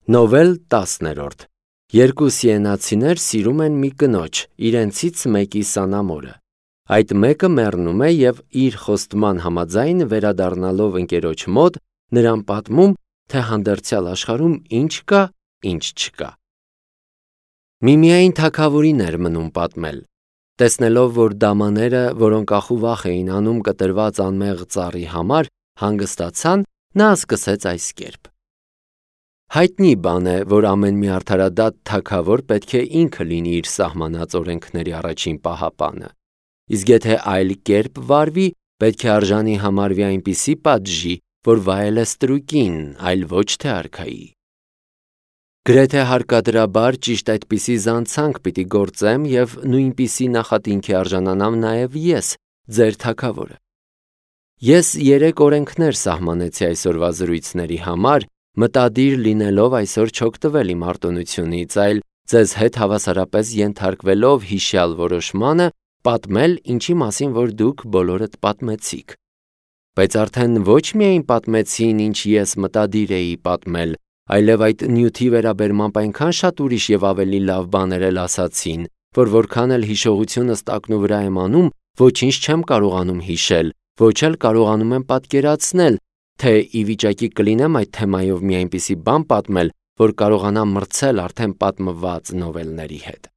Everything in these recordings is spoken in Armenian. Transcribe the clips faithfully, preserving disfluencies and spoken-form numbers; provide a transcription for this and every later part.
Նովել տասներորդ Երկու սիենացիներ սիրում են մի կնոջ, իրենցից մեկի սանամորը։ Այդ մեկը մեռնում է և իր խոստման համաձայն վերադառնալով ընկերոջ մոտ, նրան պատմում, թե հանդերձյալ աշխարհում ինչ կա, ինչ չկա։ Միմիայն թագավորին էր մնում պատմել։ Տեսնելով, որ դամաները, որոնք ախուվախ էին անում կտրված անմեղ ծառի համար, հանգստացան, նա սկսեց այս կերպ. Հայտնի բան է, որ ամեն մի արդարադատ թագավոր պետք է ինքը լինի իր սահմանած օրենքների առաջին պահապանը, իսկ եթե այլ կերպ վարվի, պետք է արժանի համարվի այնպիսի պատժի, որ վայել է ստրուկին, այլ ոչ թե արքայի։ Գրեթե հարկադրաբար ճիշտ այդպիսի զանցանք պիտի գործեմ և նույնպիսի նախատինքի արժանանամ նաև ես, ձեր թագավորը։ Ես երեք օրենքներ սահմանեցի այսօրվա զրույցների համար, մտադիր լինելով այսօր չօգտվել իմ արտոնությունից, այլ ձեզ հետ հավասարապես ենթարկվելով հիշյալ որոշմանը, պատմել, ինչի մասին որ դուք բոլորդ պատմեցիք։ Բայց արդեն ոչ միայն պատմեցին, ինչ ես մտադիր էի պատմել, այլև այդ նյութի վերաբերմամբ այնքան շատ ուրիշ և ավելի լավ բաներ էլ ասացին, որ որքան էլ հիշողությունս տակնու վրա եմ անում, ոչինչ չեմ կարողանում հիշել, ոչ էլ կարողանում եմ պատկերացնել, թե ի վիճակի կլինեմ այդ թեմայով մի այնպիսի բան պատմել, որ կարողանամ մրցել արդեն պատմված նովելների հետ։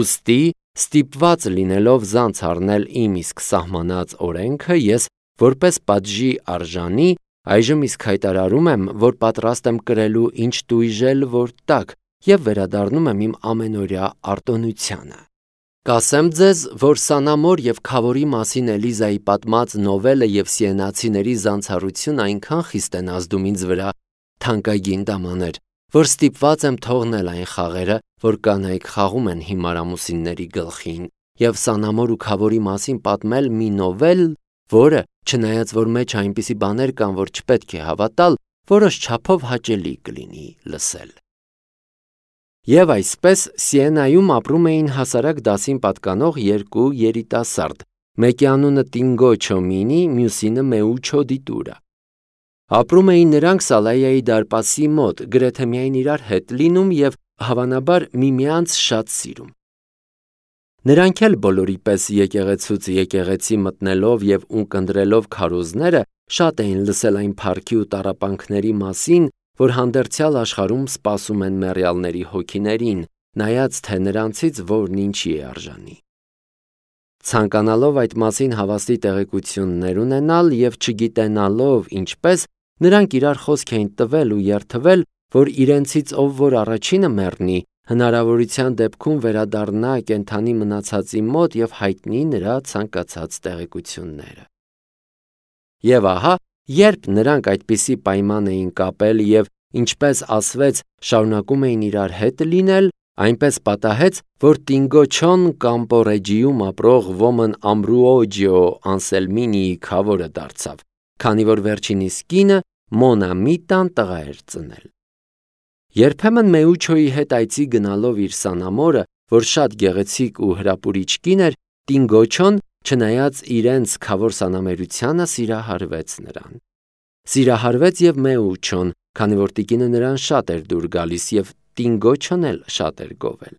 Ուստի, ստիպված լինելով զանց առնել իմ իսկ սահմանած օրենքը, ես որպես պատժի արժանի, այժմ իսկ հայտարարում եմ, որ պատրաստ եմ կրելու ինչ տույժել, որ տաք, և վերադառնում եմ իմ ամենօրյա արտոնությանը։ Կասեմ ձեզ, որ Սանամոր և Քավորի մասին Էլիզայի պատմած նովելը և սիենացիների զանցառությունը այնքան խիստ են ազդում ինձ վրա, թանկագին դամաներ, որ ստիպված եմ թողնել այն խաղերը, որ կանայք խաղում են հիմար ամուսինների գլխին, և Սանամոր ու Քավորի մասին պատմել մի նովել, որը, չնայած որ մեջ այնպիսի բաներ կան, որ չպետք է հավատալ, որոշ չափով հաճելի կլինի լսել։ Եվ այսպես Սիենայում ապրում էին հասարակ դասին պատկանող երկու երիտասարդ, մեկի անունը Տինգո Չոմինի, մյուսինը Մեուչո Դիտուրա։ Ապրում էին նրանք Սալայայի դարպասի մոտ, գրեթե միայն իրար հետ լինում և հավանաբար միմյանց շատ սիրում։ Նրանք էլ բոլորի պես եկեղեցուց եկեղեցի մտնելով և ունկնդրելով քարոզները, շատ էին լսել այն փառքի ու տառապանքների մասին, որ հանդերձյալ աշխարհում սպասում են մեռյալների հոգիներին, նայած թե նրանցից որն ինչի է արժանի։ Ցանկանալով այդ մասին հավաստի տեղեկություններ ունենալ և չգիտենալով ինչպես, նրանք իրար խոսք էին տվել ու երդվել, որ իրենցից ով որ առաջինը մեռնի, հնարավորության դեպքում վերադառնա կենդանի մնացածի մոտ և հայտնի նրա ցանկացած տեղեկությունները։ Եվ ահա, երբ նրանք այդպիսի պայման էին կապել և, ինչպես ասվեց, շարունակում էին իրար հետ լինել, այնպես պատահեց, որ Տինգոչոն Կամպոռեջիում ապրող ոմն Ամբրուոջիո Անսելմինիի քավորը դարձավ, քանի որ վերջինիս կինը Մոնամիտան տղա էր ծնել։ Երբեմն Մեուչոյի հետ այցի գնալով իր Սանամորը, որ շատ գեղեցիկ ու հրապուրիչ կին էր, Տինգոչոն, չնայած իրենց քավոր սանամերությանը, սիրահարվեց նրան։ Սիրահարվեց և Մեուչոն, քանի որ տիկինը նրան շատ էր դուր գալիս և Տինգոչոն էլ շատ էր գովել։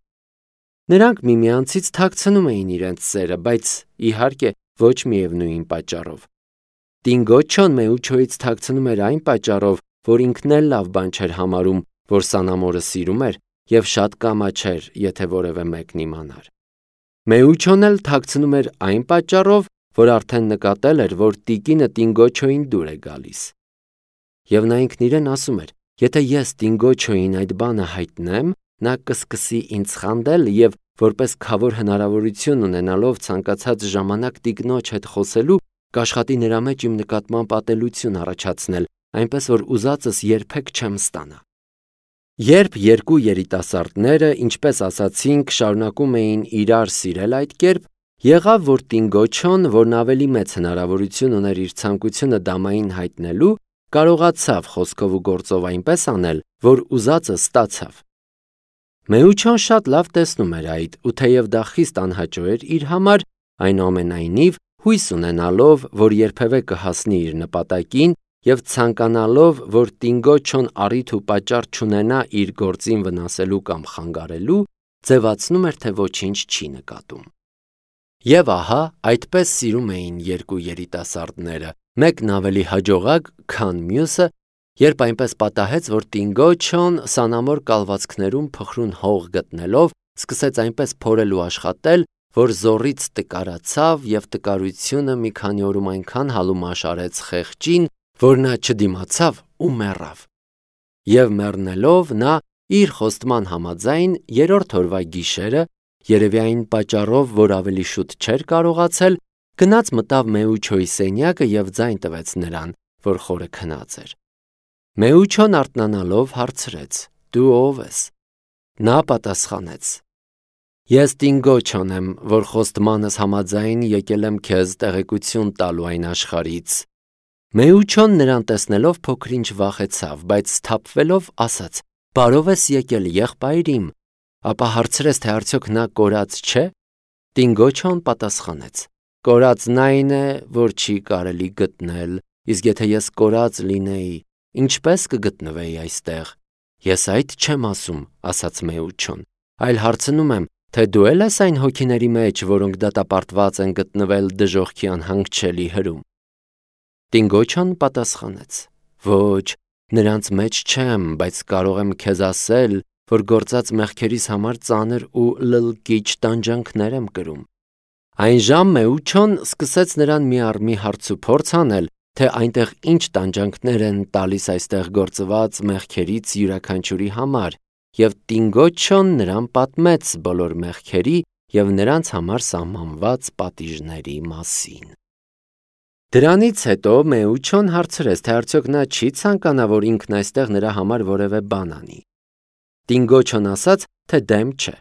Նրանք միմյանցից թաքցնում էին իրենց սերը, բայց իհարկե ոչ միևնույն պատճառով։ Տինգոչոն Մեուչոյից թաքցնում էր այն պատճառով, որ ինքն էլ լավ բան չէր համարում, որ Սանամորը սիրում էր և շատ կամաչեր, եթե որևէ մեկն իմանար։ Մեուչոն էլ թաքցնում էր այն պատճառով, որ արդեն նկատել էր, որ տիկինը Տինգոչոյին դուր է գալիս։ Եվ նա ինքն իրեն ասում էր. եթե ես Տինգոչոյին այդ բանը հայտնեմ, նա կսկսի ինձ խանդել և որպես քավոր հնարավորություն ունենալով ցանկացած ժամանակ տիկնոջ հետ խոսելու, կաշխատի նրա մեջ իմ նկատմամբ ատելություն առաջացնել, այնպես որ ուզածս երբեք չեմ ստանա։ Երբ երկու երիտասարդները, ինչպես ասացինք, շարունակում էին իրար սիրել այդ կերպ, եղավ, որ Տինգոչոն, որն ավելի մեծ հնարավորություն ուներ իր ցանկությունը դամային հայտնելու, կարողացավ խոսքով ու գործով այնպես անել, որ ուզածը ստացավ։ Մեուչոն շատ լավ տեսնում էր այդ, ու թեև դա խիստ անհաճո էր իր համար, այնուամենայնիվ հույս ունենալով, որ երբևէ կհասնի իր նպատակին եւ ցանկանալով, որ Տինգոչոն առիթ ու պատճառ չունենա իր գործին վնասելու կամ խանգարելու, ձևացնում էր, թե ոչինչ չի նկատում։ Եվ ահա, այդպես սիրում էին երկու երիտասարդները, մեկն ավելի հաջողակ, քան մյուսը, երբ այնպես պատահեց, որ Տինգոչոն սանամոր կալվածքներում փխրուն հող գտնելով, սկսեց այնպես փորել ու աշխատել, որ զոռից տկարացավ եւ տկարությունը մի քանի օրում այնքան հալումաշ արեց խեղճին, որ նա չդիմացավ ու մեռավ։ Եվ մեռնելով նա իր խոստման համաձայն երրորդ օրվա գիշերը, երևի այն պատճառով, որ ավելի շուտ չէր կարողացել, գնաց մտավ Մեուչոյի սենյակը եւ ձայն տվեց նրան, որ խորը քնած էր։ Մեուչոն արթնանալով հարցրեց. «Դու ով ես»։ Նա պատասխանեց. «Ես Տինգոչոն եմ, որ խոստմանս համաձայն եկել եմ քեզ տեղեկություն տալու այն աշխարհից»։ Մեուչոն նրան տեսնելով փոքր-ինչ վախեցավ, բայց սթափվելով ասաց. «Բարով ես եկել, եղբայր իմ»։ Ապա հարցրեց, թե արդյոք նա կորած չէ։ Տինգոչոն պատասխանեց. «Կորածն այն է, որ չի կարելի գտնել, իսկ եթե ես կորած լինեի, ինչպես կգտնվեի այստեղ»։ «Ես այդ չեմ ասում», ասաց Մեուչոն, «այլ հարցնում եմ, թե դու էլ ես այն հոգիների մեջ, որոնք դատապարտված են գտնվել դժոխքի անհանգչելի հրում»։ Տինգոչոն պատասխանեց. «Ոչ, նրանց մեջ չեմ, բայց կարող եմ քեզ ասել, որ գործած մեղքերիս համար ծանր ու լլկիչ տանջանքներ եմ կրում»։ Այնժամ Մեուչոն սկսեց նրան մի առ մի հարց ու փորձ անել, թե այնտեղ ինչ տանջանքներ են տալիս այստեղ գործված մեղքերից յուրաքանչյուրի համար, եւ Տինգոչոն նրան պատմեց բոլոր մեղքերի եւ նրանց համար սահմանված պատիժների մասին։ Դրանից հետո Մեուչոն հարցրեց, թե արդյոք նա չի ցանկանա, որ ինքն այստեղ նրա համար որևէ բան անի։ Տինգոչոն ասաց, թե դեմ չէ։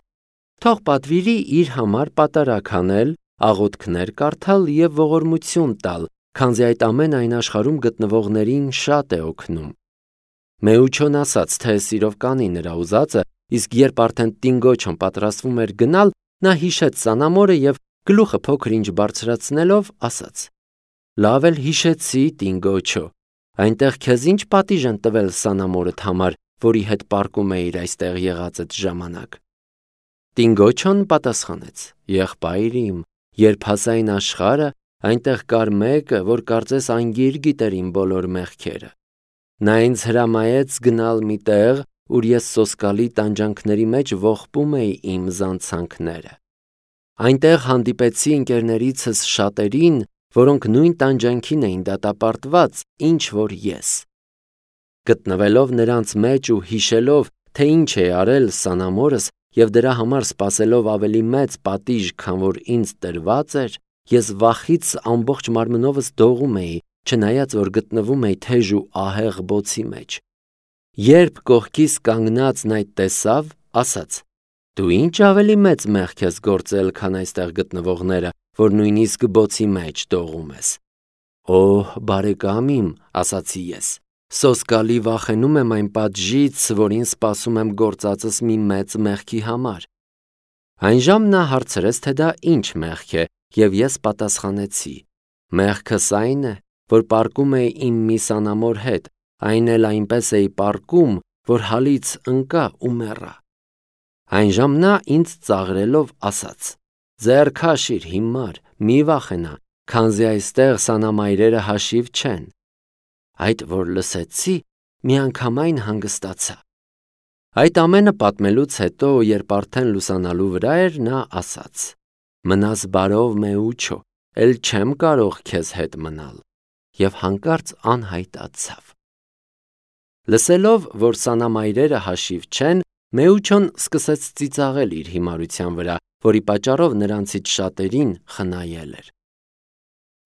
Թող պատվիրի իր համար պատարագ անել, աղոթքներ կարդալ եւ ողորմություն տալ, քանզի այդ ամենը այն աշխարհում գտնվողներին շատ է օգնում։ Մեուչոն ասաց, թե սիրով կանի նրա ուզածը, իսկ երբ արդեն Տինգոչոն պատրաստվում էր գնալ, նա հիշեց սանամորը եւ գլուխը փոքր-ինչ բարձրացնելով ասաց. «Լավ էլ հիշեցի, Տինգոչո, այնտեղ քեզ ինչ պատիժ են տվել սանամորդ համար, որի հետ պարկում էիր այստեղ եղածդ ժամանակ»։ Տինգոչոն պատասխանեց. «Եղբայր իմ, երբ հասա այն աշխարհը, այնտեղ կար մեկը, որ կարծես անգիր գիտեր իմ բոլոր մեղքերը։ Նա ինձ հրամայեց գնալ մի տեղ, ուր ես սոսկալի տանջանքների մեջ ողբում էի իմ զանցանքները։ Այնտեղ հանդիպեցի ընկերներիցս շատերին, որոնք նույն տանջանքին էին դատապարտված, ինչ որ ես։ Գտնվելով նրանց մեջ ու հիշելով, թե ինչ է արել սանամորս եւ դրա համար սպասելով ավելի մեծ պատիժ, քան որ ինձ տրված էր, ես վախից ամբողջ մարմնովս դողում էի, չնայած որ գտնվում էի թեժ ու ահեղ բոցի մեջ։ Երբ կողքիս կանգնածն այդ տեսավ, ասաց. «Դու ինչ ավելի մեծ մեղք ես գործել, քան այստեղ գտնվողները, որ նույնիսկ բոցի մեջ դողում ես»։ «Օհ, բարեկամ իմ», ասացի ես, «սոսկալի վախենում եմ այն պատժից, որին սպասում եմ գործածս մի մեծ մեղքի համար»։ Այնժամ նա հարցրեց, թե դա ինչ մեղք է, եւ ես պատասխանեցի. «Մեղքս այն է, որ պարկում էի իմ մի սանամոր հետ, այն էլ այնպես էի պարկում, որ հալից ընկա ու մեռա»։ Այնժամ նա ինձ ծաղրելով ասաց. «Ձեռ քաշիր, հիմար, մի վախենա, քանզի այստեղ սանամայրերը հաշիվ չեն»։ Այդ որ լսեցի, միանգամայն հանգստացա։ Այդ ամենը պատմելուց հետո, երբ արդեն լուսանալու վրա էր, նա ասաց. «Մնաս բարով, Մեուչո, էլ չեմ կարող քեզ հետ մնալ», եւ հանկարծ անհայտացավ։ Լսելով, որ սանամայրերը հաշիվ չեն, Մեուչոն սկսեց ծիծաղել իր հիմարության վրա, որի պատճառով նրանցից շատերին խնայել էր։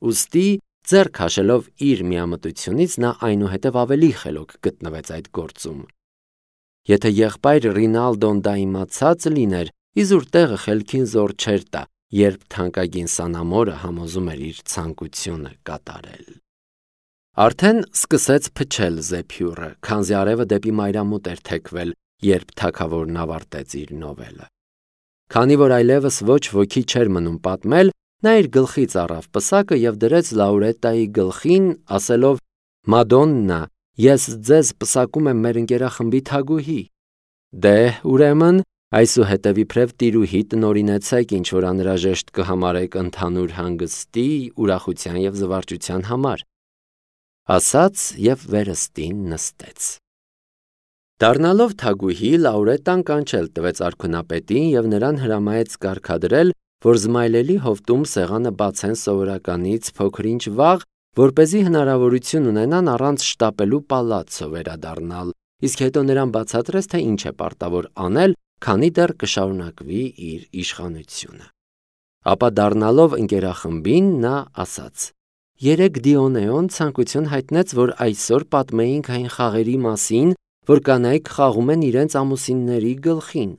Ուստի, ձեռ քաշելով իր միամտությունից, նա այնուհետև ավելի խելոք գտնվեց այդ գործում։ Եթե եղբայր Ռինալդոն դա իմացած լիներ, իզուր տեղը խելքին զոր չէր տա, երբ թանկագին սանամորը համոզում էր իր ցանկությունը կատարել։ Արդեն սկսեց փչել զեփյուռը, քանզի արևը դեպի մայրամուտ էր թեքվել, երբ թագավորն ավարտեց իր նովելը։ Քանի որ այլևս ոչ ոքի չէր մնում պատմել, նա իր գլխից առավ պսակը եւ դրեց Լաուրետայի գլխին, ասելով. Մադոննա, ես ձեզ պսակում եմ մեր ընկերախմբի թագուհի։ Դե, ուրեմն, այսուհետև իբրև տիրուհի տնօրինեցեք, ինչ որ անհրաժեշտ կհամարեք ընդհանուր հանգստի, ուրախության և զվարճության համար։ Ասաց և վերստին նստեց։ Դառնալով թագուհի, Լաուրետան կանչել տվեց արքունապետին և նրան հրամայեց կարգադրել, որ Զմայլելի հովտում սեղանը բացեն սովորականից փոքր-ինչ վաղ, որպեսզի հնարավորություն ունենան առանց շտապելու պալացցո վերադառնալ, իսկ հետո նրան բացատրեց, թե ինչ է պարտավոր անել, քանի դեռ կշարունակվի իր իշխանությունը։ Ապա դառնալով ընկերախմբին, նա ասաց. «Երեկ Դիոնեոն ցանկություն հայտնեց, որ այսօր պատմեինք այն խաղերի մասին, որ կանայք խաղում են իրենց ամուսինների գլխին։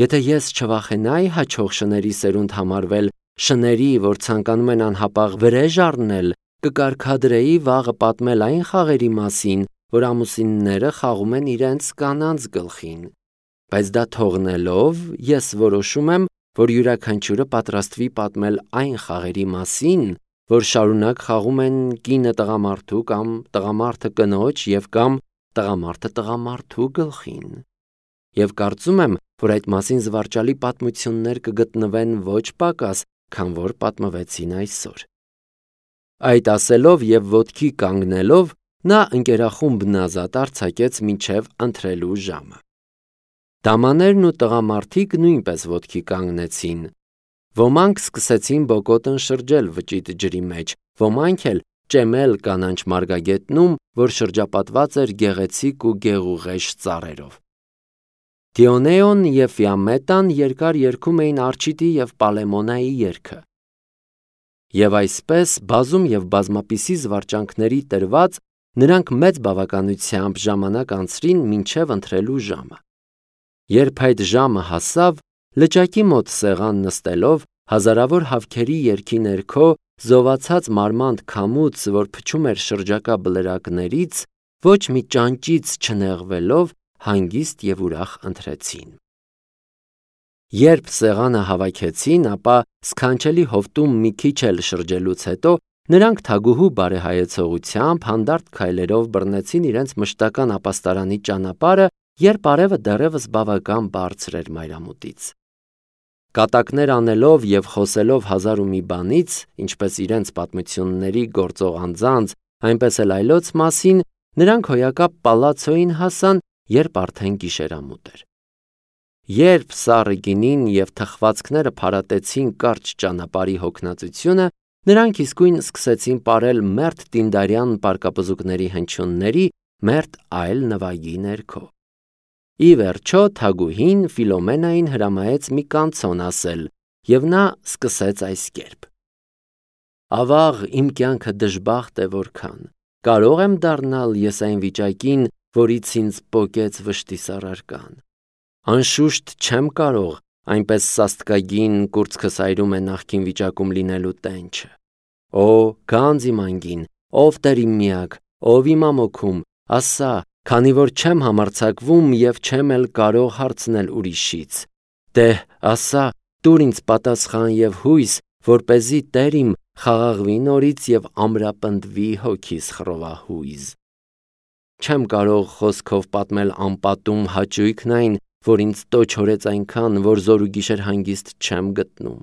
Եթե ես չվախենայի հաջող շների սերունդ համարվել, շների, որ ցանկանում են անհապաղ վրեժ առնել, կկարգադրեի վաղը պատմել այն խաղերի մասին, որ ամուսինները խաղում են իրենց կանանց գլխին, բայց դա թողնելով, ես որոշում եմ, որ յուրաքանչյուրը պատրաստվի պատմել այն խաղերի մասին, որ շարունակ խաղում են կինը տղամարդու կամ տղամարդը կնոջ և կամ տղամարդը տղամարդու գլխին։ Եվ կարծում եմ, որ այդ մասին զվարճալի պատմություններ կգտնվեն ոչ պակաս, քան որ պատմվեցին այսօր»։ Այդ ասելով և ոտքի կանգնելով, նա ընկերախումբն ազատ արձակեց մինչև ընթրելու ժամը։ Դամաներն ու տղամարդիկ նույնպես ոտքի կանգնեցին։ Ոմանք սկսեցին բոկոտն շրջել վճիտ ջրի մեջ, ոմանք էլ ճեմել կանաչ մարգագետնում, որ շրջապատված էր գեղեցիկ ու գեղուղեշ ծառերով։ Դիոնեոն և Ֆիամետան երկար երգում էին Արչիդի և Պալեմոնայի երգը։ Եվ այսպես, բազում և բազմապիսի զվարճանքների տրված, նրանք մեծ բավականությամբ ժամանակ անցրին մինչև ընթրելու ժամը։ Երբ այդ ժամը հասավ, լճակի մոտ սեղան նստելով, հազարավոր հավքերի երգի ներքո, զովացած մարմանդ քամուց, որ փչում էր շրջակա բլրակներից, ոչ մի ճանճից չնեղվելով, հանգիստ և ուրախ ընթրեցին։ Երբ սեղանը հավաքեցին, ապա սքանչելի հովտում մի քիչ էլ շրջելուց հետո, նրանք թագուհու բարեհայեցողությամբ հանդարտ քայլերով բռնեցին իրենց մշտական ապաստարանի ճանապարհը, երբ արևը դեռևս բավական բարձր էր մայրամուտից։ Կատակներ անելով և խոսելով հազար ու մի բանից, ինչպես իրենց պատմությունների գործող անձանց, այնպես էլ այլոց մասին, նրանք հոյակապ պալացցոյին հասան, երբ արդեն գիշերամուտ էր։ Երբ սառը գինին և թխվածքները փարատեցին կարճ ճանապարհի հոգնածությունը, նրանք իսկույն սկսեցին պարել մերթ տինդարյան պարկապզուկների հնչյունների, մերթ այլ նվագի ներքո։ Ի վերջո թագուհին Ֆիլոմենային հրամայեց մի կանցոն ասել, և նա սկսեց այս կերպ. «Ավաղ, իմ կյանքը դժբախտ է որքան, կարո՞ղ եմ դառնալ ես այն վիճակին, որից ինձ պոկեց վշտի սառարկան։ Անշուշտ չեմ կարող, այնպես սաստկագին կուրծքս այրում է նախկին վիճակում լինելու տենչը։ Օ, գանձ իմ անգին, ով Տեր իմ միակ, ով իմ ամոքում, ասա, քանի որ չեմ համարձակվում և չեմ էլ կարող հարցնել ուրիշից։ Դե՛հ, ասա, տուր ինձ պատասխան և հույս, որպեսզի Տեր իմ խաղաղվի նորից և ամրապնդվի հոգիս խռովահույզ։ Չեմ կարող խոսքով պատմել անպատում հաճույքն այն, որ ինձ տոչորեց այնքան, որ զոր ու գիշեր հանգիստ չեմ գտնում։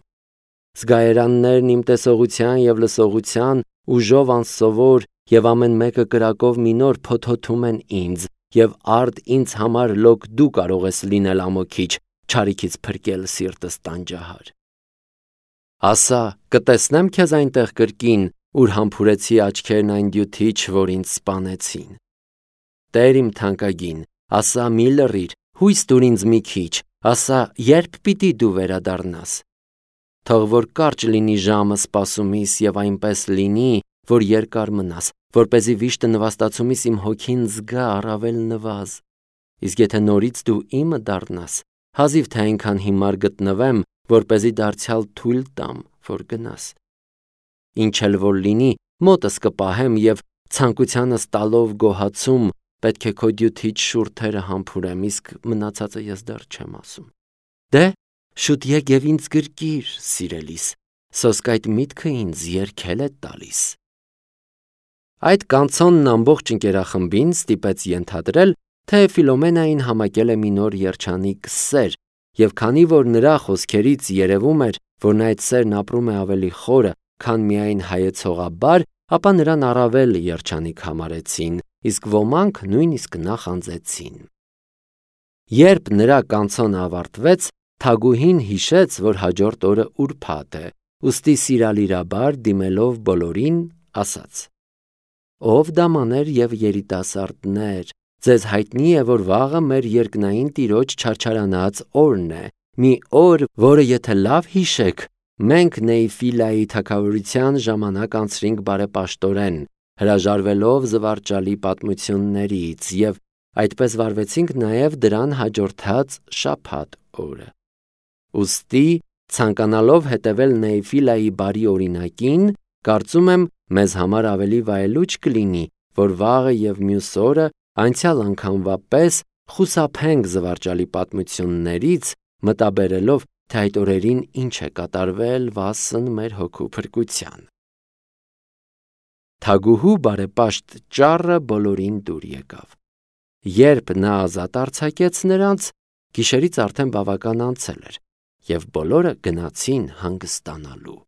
Զգայարաններն իմ տեսողության և լսողության ուժով անսովոր և ամեն մեկը կրակով մի նոր փոթոթում են ինձ, և արդ ինձ համար լոկ դու կարող ես լինել ամոքիչ, չարիքից փրկել սիրտս տանջահար։ Ասա, կտեսնե՞մ քեզ այնտեղ կրկին, ուր համբուրեցի աչքերն այն դյութիչ, որ ինձ սպանեցին։ Տեր իմ թանկագին, ասա, մի լռիր, հույս տուր ինձ մի քիչ, ասա, ե՞րբ պիտի դու վերադառնաս։ Թող որ կարճ լինի ժամը սպասումիս և այնպես լինի, որ երկար մնաս, որպեսզի վիշտը նվաստացումիս իմ հոգին զգա առավել նվազ։ Իսկ եթե նորից դու իմը դառնաս, հազիվ թե այնքան հիմար գտնվեմ, որպեսզի դարձյալ թույլ տամ, որ գնաս։ Ինչ էլ որ լինի, մոտս կպահեմ և ցանկությանս տալով գոհացում, պետք է քո դյութիչ շուրթերը համբուրեմ, իսկ մնացածը ես դեռ չեմ ասում։ Դե, շուտ եկ և ինձ գրկիր, սիրելիս, սոսկ այդ միտքը ինձ երգել է տալիս»։ Այդ կանցոնն ամբողջ ընկերախմբին ստիպեց ենթադրել, թե Ֆիլոմենային համակել է մի նոր երջանիկ սեր, և քանի որ նրա խոսքերից երևում էր, որ այդ սերն ապրում է ավելի խորը, քան միայն հայեցողաբար, ապա նրան առավել երջանիկ համարեցին, իսկ ոմանք նույնիսկ նախանձեցին։ Երբ նրա կանցոնը ավարտվեց, թագուհին հիշեց, որ հաջորդ օրը ուրբաթ է, ուստի սիրալիրաբար դիմելով բոլորին, ասաց. «Ով դամաներ և երիտասարդներ, ձեզ հայտնի է, որ վաղը մեր երկնային Տիրոջ չարչարանած օրն է, մի օր, որը եթե լավ հիշեք, մենք Նեյֆիլայի թագավորության ժամանակ անցրինք բարեպաշտորեն, հրաժարվելով զվարճալի պատմություններից, և այդպես վարվեցինք նաև դրան հաջորդած շաբաթ օրը։ Ուստի, ցանկանալով հետևել Նեյֆիլայի բարի օրինակին, կարծում եմ, մեզ համար ավելի վայելուչ կլինի, որ վաղը և մյուս օրը անցյալ անգամվա պես խուսափենք զվարճալի պատմություններից, մտաբերելով, թե այդ օրերին ինչ է կատարվել վասն մեր հոգու փրկության»։ Թագուհու բարեպաշտ ճառը բոլորին դուր եկավ։ Երբ նա ազատ արձակեց նրանց, գիշերից արդեն բավական անցել էր, և բոլորը գնացին հանգստանալու։